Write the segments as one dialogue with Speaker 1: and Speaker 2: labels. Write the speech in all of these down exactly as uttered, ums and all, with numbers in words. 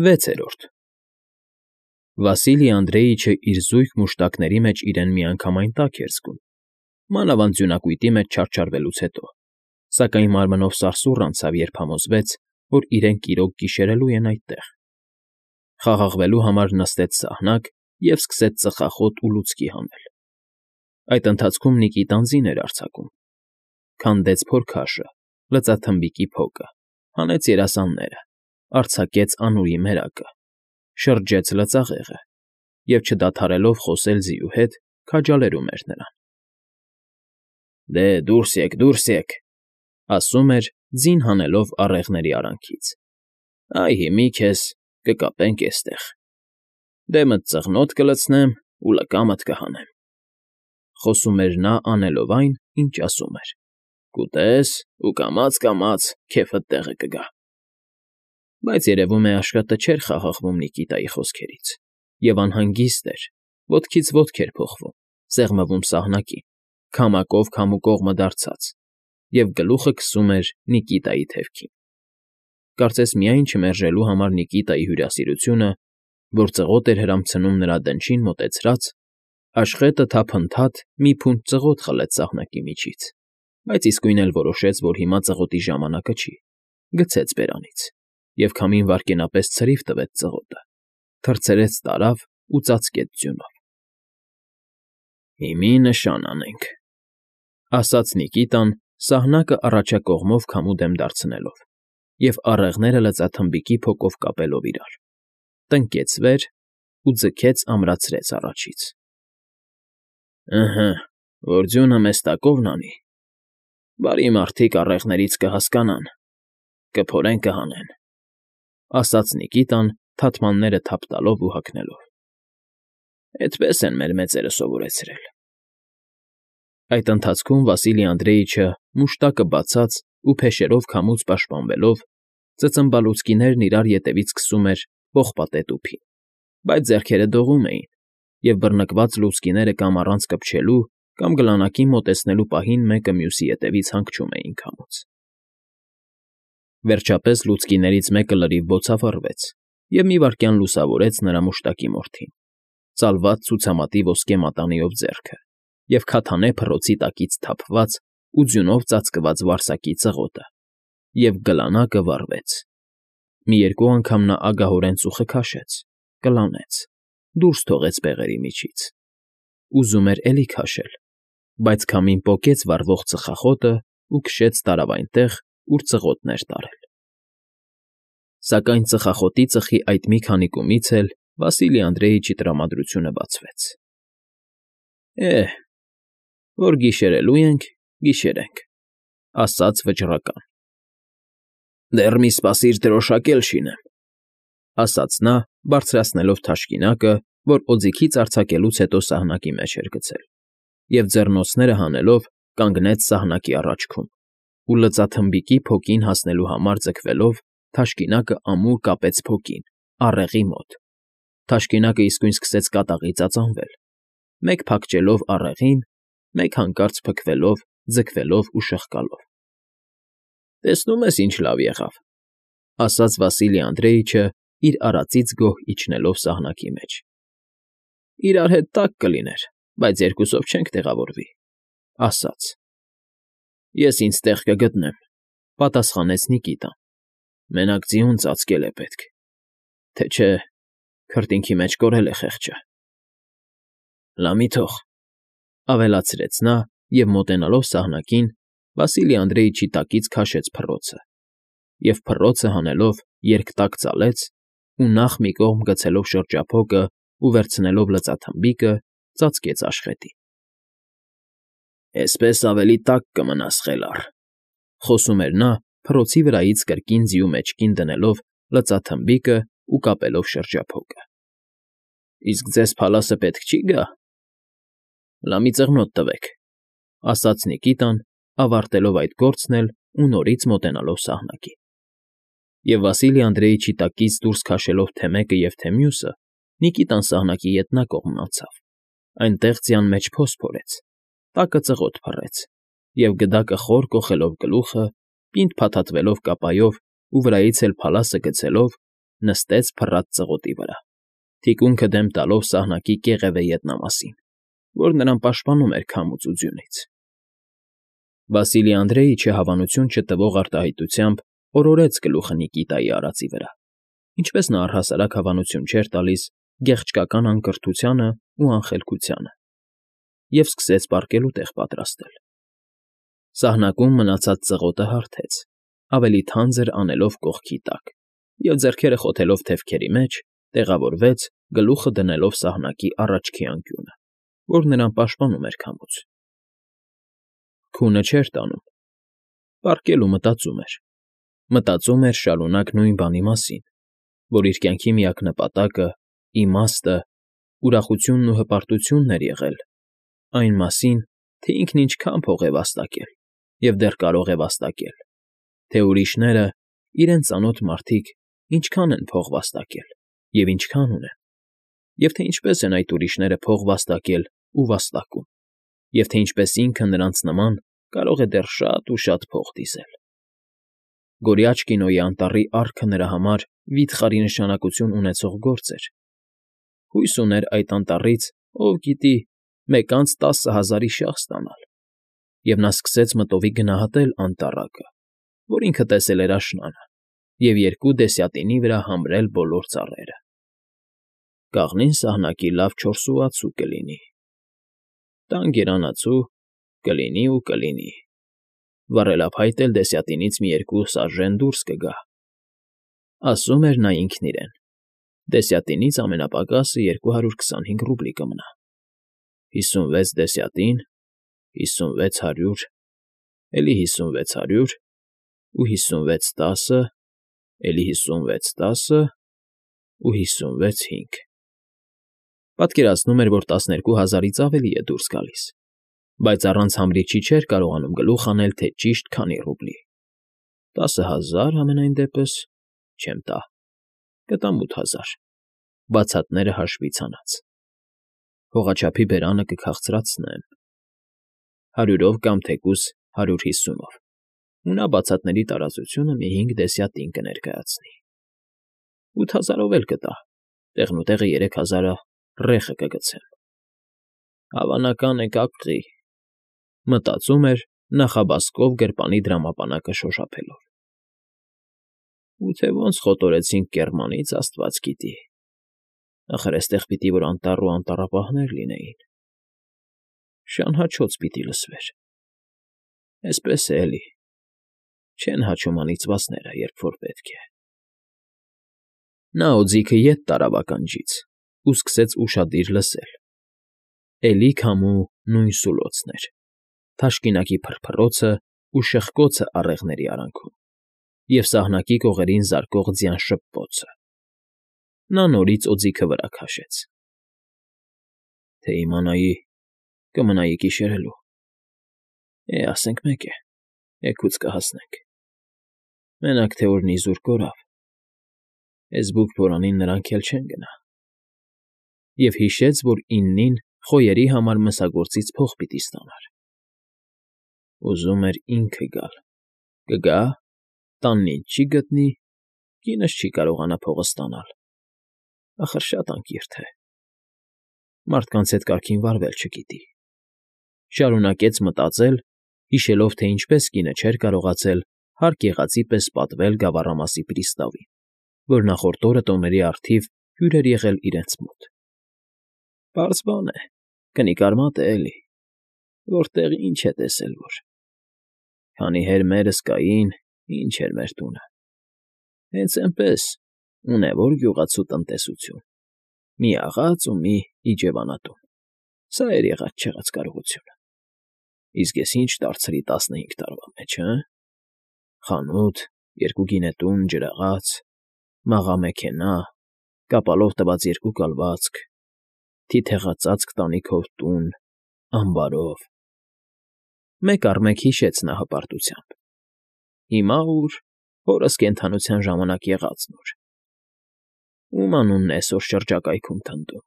Speaker 1: Վեցերորդ Վասիլի Անդրեիչը իր զույգ մուշտակների մեջ իրեն միանգամայն տաք էր զգում, մանավանդ ձյունակույտի մեջ չարչարվելուց հետո, սակայն մարմնով սարսուռ անցավ, երբ համոզվեց, որ իրենք իրոք գիշերելու են այդտեղ։ Խաղաղվելու համար նստեց սահնակ և սկսեց ծխախոտ ու լուցկի հանել։ Այդ ընթացքում Նիկիտան ձին էր արձակում, քանդեց փորքաշը, լծաթմբիկի փոկը, հանեց երասանները, արձակեց անուռի մերակը, շրջեց լծաղեղը և, չդադարելով խոսել ձիու հետ, քաջալերում էր նրան։ ֊ Դե, դուրս եք, դուրս եք,֊ ասում էր, ձին հանելով առեղների արանքից։֊ Այ հիմի քեզ կկապենք էստեղ, դեմդ ծղնոտ կլցնեմ ու լկամդ կհանեմ,֊ խոսում էր նա, անելով այն, ինչ ասում էր,֊ կուտես ու կամաց֊կամաց քեֆդ տեղը կգա։ Բայց երևում է աշխատը չէր խաղաղվում Նիկիտայի խոսքերից, և անհանգիստ էր, ոտքից ոտք էր փոխվում, սեղմվում սահնակին, քամակով քամու կողմը դարձած, և գլուխը քսում էր Նիկիտայի թևքին։ Կարծես միայն չմերժելու համար Նիկիտայի հյուրասիրությունը, որ ծղոտ էր հրամցնում նրա դնչին մոտեցրած, աշխատը թափընթաց մի փունջ ծղոտ խլեց սահնակի միջից, բայց իսկույն էլ որոշեց, որ հիմա ծղոտի ժամանակը չի, գցեց բերանից և քամին վայրկենապես ցրիվ տվեց ծղոտը, թռցրեց տարավ ու ծածկեց ձյունով։ ֊ Հիմի նշան անենք,֊ ասաց Նիկիտան, սահնակը առաջակողմով քամու դեմ դարձնելով և առեղները լծաթմբիկի փոկով կապելով իրար, տնկեց վեր ու ձգեց ամրացրեց առաջից։ ֊ Ըհը, որ ձյունը մեզ տակով նանի, բարի մարդիկ առեղներից կհասկանան, կփորեն, կհանեն,֊ ասաց Նիկիտան, թաթմանները թափ տալով ու հագնելով։֊ Էդպես են մեր մեծերը սովորեցրել։ Այդ ընթացքում Վասիլի Անդրեիչը, մուշտակը բացած ու փեշերով քամուց պաշտպանվելով, ծծմբալուցկիներն իրար ետևից քսում էր պողպատե տուփին, բայց ձեռքերը դողում էին, և բռնկված լուցկիները կամ առանց կպչելու, կամ գլանակին մոտեցնելու պահին մեկը մյուսի ետևից հանգչում էին քամուց։ Վերջապես լուցկիներից մեկը լրիվ բոցավառվեց և մի վայրկյան լուսավորեց նրա մուշտակի մորթին, ծալված ցուցամատի ոսկե մատանիով ձեռքը և քաթանե փռոցի տակից թափված ու ձյունով ծածկված վարսակի ծղոտը, և գլանակը վառվեց։ Մի երկու անգամ նա ագահորեն ծուխը քաշեց, կլանեց, դուրս թողեց բեղերի միջից, ուզում էր էլի քաշել, բայց քամին պոկեց վառվող ծխախոտն ու քշեց տարավ այնտեղ, ուր ծղոտն էր տարել։ Սակայն ծխախոտի ծխի այդ մի քանիկումից էլ Վասիլի Անդրեիչի տրամադրությունը բացվեց։ ֊ Է՛հ, որ գիշերելու ենք, գիշերենք,֊ ասաց վճռական։ ֊ Դեռ մի սպասիր դրոշակ էլ շինեմ,֊ ասաց նա, բարձրացնելով թաշկինակը, որ օձիքից արձակելուց հետո սահնակի մեջ էր գցել, և ձեռնոցները հանելով կանգնեց սահնակի առաջքում ու լծաթմբիկի փոկին հասնելու համար ձգվելով թաշկինակը ամուր կապեց փոկին, առեղի մոտ, թաշկինակը իսկույն սկսեց կատաղի ծածանվել, մեկ փակչելով առեղին, մեկ հանկարծ փքվելով, ձգվելով ու շղկալով։ ֊ Տեսնում ես ինչ լավ եղավ,֊ ասաց Վասիլի Անդրեիչը, իր արածից գոհ իջնելով սահնակի մեջ։ ֊ Իրար հետ տաք կլիներ, բայց երկուսով չենք տեղավորվի,֊ ասաց։ ֊ Ես ինձ տեղ կգտնեմ,֊ պատասխանեց Նիկիտան,֊ մենակ ձիուն ծածկել է պետք, թե չէ քրտինքի մեջ կորել է խեղճը։ ֊ Լա մի թող,֊ ավելացրեց նա և, մոտենալով սահնակին, Վասիլի Անդրեիչի տակից քաշեց փռոցը և, փռոցը հանելով, երկտակ ծալեց ու նախ մի կողմ գցելով շրջափոկն ու վերցնելով լծաթմբիկը, ծածկեց աշխատին։ ֊ Էսպես ավելի տաք կմնաս, խելառ,֊ խոսում էր նա, փռոցի վրայից կրկին ձիու մեջքին դնելով լծաթմբիկն ու կապելով շրջափոկը։ ֊ Իսկ ձեզ փալասը պետք չի՞ գա։ ֊ Լա մի ծղնոտ տվեք,֊ ասաց Նիկիտան, ավարտելով այդ գործն էլ ու նորից մոտենալով սահնակին։ Եվ Վասիլի Անդրեիչի տակից դուրս քաշելով թե մեկը և թե մյուսը, Նիկիտան սահնակի ետնակողմն անցավ, այնտեղ ձյան մեջ փոս փորեց, տակը ծղոտ փռեց, և գդակը խոր կոխելով գլուխը, պինդ փաթաթվելով կապայով ու վրայից էլ փալասը գցելով, նստեց փռած ծղոտի վրա, թիկունքը դեմ տալով սահնակի կեղևե ետնամասին, որ նրան պաշտպանում էր քամուց ու ձյունից։ Վասիլի Անդրեիչը հավանություն չտվող արտահայտությամբ օրորեց գլուխը Նիկիտայի արածի վրա, ինչպես նա առհասարակ հավանություն չէր տալիս գեղչկական անկրթությանը ու անխելքությանը, և սկսեց պառկելու տեղ պատրաստել։ Սահնակում մնացած ծղոտը հարթեց, ավելի թանձր անելով կողքի տակ, և ձեռքերը խոթելով թևքերի մեջ, տեղավորվեց, գլուխը դնելով սահնակի առաջքի անկյունը, որ նրան պաշտպանում էր քամուց։ Քունը չէր տանում, պառկել ու մտածում էր, մտածում էր շարունակ նույն բանի մասին, որ իր կյանքի միակ նպատակը, իմաստը, ուրախությունն ու հպարտությունն էր եղել, այն մասին, թե ինքն ինչքան փող է վաստակել և դեռ կարող է վաստակել, թե ուրիշները, իրենց ծանոթ մարդիկ, ինչքան են փող վաստակել և ինչքան ունեն, և թե ինչպես են այդ ուրիշները փող վաստակել ու վաստակում, և թե ինչպես ինքը նրանց նման կարող է դեռ շատ ու շատ փող դիզել։ Գորիաչ կինոյի անտառի առքը նրա համար վիթխարի նշանակություն ունեցող գործ էր։ Հույս ուներ այդ անտառից, ով գիտի, մեկ անց տասը հազարի շահ ստանալ, և նա սկսեց մտովի գնահատել անտառակը, որ ինքը տեսել էր աշնանը, և երկու դեսյատինի վրա համրել բոլոր ծառերը։ Կաղնին սահնակի լավ չորսուացու կլինի, տան գերանացու կլինի ու կլինի, վառելափայտ էլ դեսյատինից մի երկու սաժեն դուրս կգա, ասում էր նա ինքն իրեն, դեսյատինից ամենապակասը երկու հարյուր քսանհինգ ռուբլի կմնա, հիսունվեց դեսյատին, հիսունվեց հարյուր, էլի հիսունվեց հարյուր ու հիսունվեց տասը, էլի հիսունվեց տասը ու հիսունվեց հինգ… Պատկերացնում էր, որ տասներկու հազարից ավելի է դուրս գալիս, բայց առանց համրիչի չէր կարողանում գլուխ հանել, թե ճիշտ քանի ռուբլի… Տասը հազար, համենայն դեպս, չեմ տա, կտամ ութ հազար, բացատները հաշվից հանած, հողաչափի բերանը կքաղցրացնեմ, հարյուրով կամ թեկուզ հարյուր հիսունով, ու նա բացատների տարածությունը մի հինգ դեսյատին կներկայացնի… Ութ հազարով էլ կտա, տեղնուտեղը երեք հազարը ռեխը կգցեմ… Հավանական է կապղի, մտածում էր նախաբասկով գրպանի դրամապանակը շոշափելով։ Ու թե ոնց խոտորեցինք կեռմանից, աստված գիտի, ախր էստեղ պիտի որ անտառ ու անտառապահներ լինեին, շան հաչոց պիտի լսվեր… Էսպես է էլի, չեն հաչում անիծվածները, երբ որ պետք է… Նա օձիքը ետ տարավ ականջից ու սկսեց ուշադիր լսել. էլի քամու նույն սուլոցն էր, թաշկինակի փռփռոցն ու շխկոցը առեղների արանքում և սահնակի կողերին զարկող ձյան շփոթվոցը… Նա նորից օձիքը վրա քաշեց. Թե իմանայի, կմնայի կիշերելու… Է, ասենք մեկ է, էգուց կհասնենք… Մենակ թե օրն իզուր կորավ, էս բուկ֊բորանին նրանք էլ չեն գնա… Եվ հիշեց, որ իննին խոյերի համար մսագործից փող պիտի ստանար… Ուզում էր ինքը գալ, կգա, տանն ինչ չի գտնի, կինս չի կարողանա փողը ստանալ… Ախր շատ անկիրթ է… Մարդկանց հետ կարգին վարվել չգիտի… Շարունակեց մտածել, հիշելով, թե ինչպես կինը չէր կարողացել հարկ եղածի պես պատվել գավառամասի պրիստավին, որ նախորդ օրը տոների առթիվ հյուր էր եղել իրենց մոտ… Պարզ բան է, կնիկ արմատ է էլի, որտեղ ինչ է տեսել որ… Քանի հեր մերս կային, ինչ էր մեր տունը… Հենց էնպես, ունևոր գյուղացու տնտեսություն, մի աղաց ու մի իջևանատուն, սա էր եղած֊չեղած կարողությունը… Իսկ ես ինչ դարձրի տասնհինգ տարվա մեջ, հը՜… Խանութ, երկու գինետուն, ջրաղաց, մաղա֊մեքենա, կապալով տված երկու կալվածք, թիթեղածածկ տանիքով տուն, ամբարով… Մեկ առ մեկ հիշեց նա հպարտությամբ. Հիմա ու՞ր, հորս կենդանության ժամանակ եղածն ու՞ր… Ո՞ւմ անունն է էսօր շրջակայքում թնդում…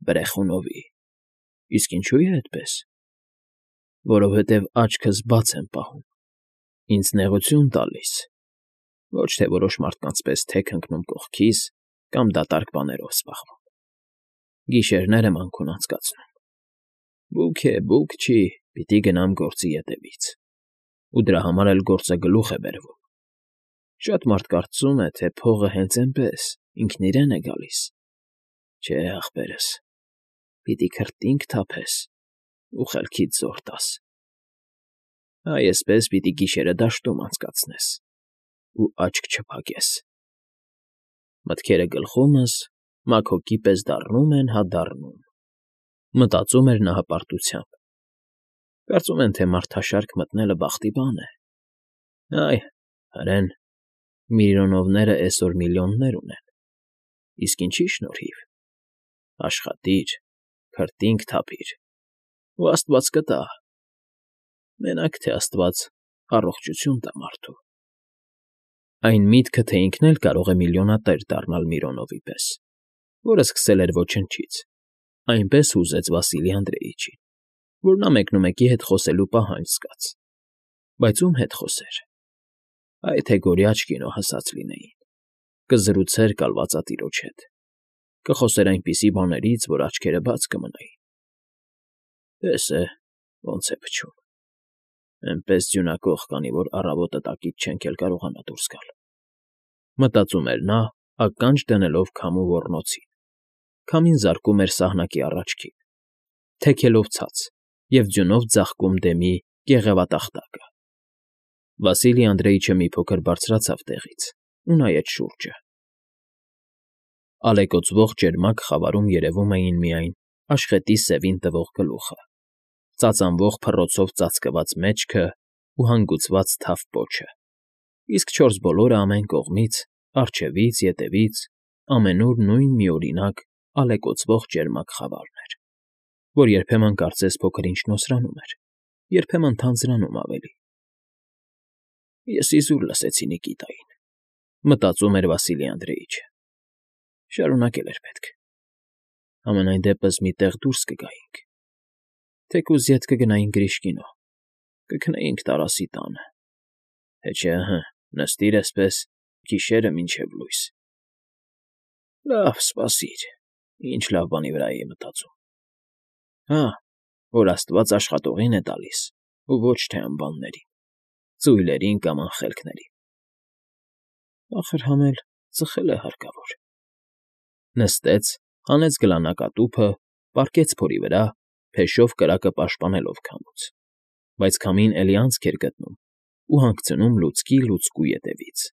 Speaker 1: Բրեխունովի… Իսկ ինչո՞ւ է այդպես… Որովհետև աչքս բաց եմ պահում, ինձ նեղություն տալիս, Ոչ թե որոշ մարդկանց պես թեք ընկնում կողքիս կամ դատարկ բաներով զբաղվում։ Գիշերները մանքում անցկացնում։ Բուք է, բուք չի, պիտի գնամ գործի ետևից։ Ու դրա համար էլ գործը գլուխ է բերվում։ Շատ մարդ կարծում է, թե փողը հենց էնպես, ինքն իրեն է գալիս։ Չէ, ախպերս, պիտի քրտինք թափես ու խելքիդ զոր տաս։ Այ էսպես պիտի գիշերը դաշտում անցկացնես ու աչք չփակես։ Մտքերը գլխումս մաքոկի պես դառնում են հա դառնում, մտածում էր նա հպարտությամբ։ Կարծում են, թե մարդաշարք մտնելը բախտի բան է։ Այ, հրեն, Միրոնովները էսօր միլիոններ ունեն, իսկ ինչի շնորհիվ։ Աշխատիր, քրտինք թափիր, ու աստված կտա։ Մենակ թե աստված առողջություն տա մարդու։ Այն միտքը, թե ինքն էլ կարող է միլիոնատեր դառնալ Միրոնովի պես, որը սկսել էր ոչնչից, այնպես հուզեց Վասիլի Անդրեիչին, որ նա մեկնումեկի հետ խոսելու պահանջ զգաց։ Բայց ում հետ խոսեր։ Այ թե գորիաչ կինո հասած լինեին, կզրուցեր կալվածատիրոջ հետ, կխոսեր այնպիսի բաներից, որ աչքերը բաց կմնային։ Տես է, ոնց է փչում։ Էնպես ձյունակող կանի, որ առավոտը տակից չենք էլ կարողանա դուրս գալ։ Մտածում էր նա, ականջ դնելով քամու ոռնոցին։ Քամին զարկում էր սահնակի առաջքին, թեքելով ցած և ձյունով ձաղկում դեմի կեղևատախտակը։ Վասիլի Անդրեիչը մի փոքր բարձրացավ տեղից ու նայեց շուրջը։ Ալեկոծվող ճերմակ խավարում երևում էին միայն աշխատի սևին տվող գլուխը, ծածանվող փռոցով ծածկված մեջքն ու հանգուցված թավ պոչը, իսկ չորս բոլորը ամեն կողմից, առջևից, ետևից, ամենուր նույն միօրինակ ալեկոծվող ճերմակ խավարն էր, որ երբեմն կարծես փոքր-ինչ նոսրանում էր, երբեմն թանձրանում ավելի։ Ես իզուր լսեցի Նիկիտային, մտածում էր Վասիլի Անդրեիչը։ Շարունակել էր պետք։ Համենայն դեպս մի տեղ դուրս կգայինք։ Թեկուզ ետ կգնայինք Գրիշկինո, կքնեինք Տարասի տանը, թե չէ, հը, նստիր էսպես գիշերը մինչև լույս։ Լավ, սպասիր, ինչ լավ բանի վրա էի մտածում։ Հա, որ աստված աշխատողին է տալիս ու ոչ թե անբաններին, ծույլերին կամ անխելքներին։ Ախր համ էլ ծխել է հարկավոր։ Նստեց, հանեց գլանակատուփը, պառկեց փորի վրա, փեշով կրակը պաշտպանելով քամուց, բայց քամին էլի անցք էր գտնում ու հանգցնում լուցկի լուցկու ետևից։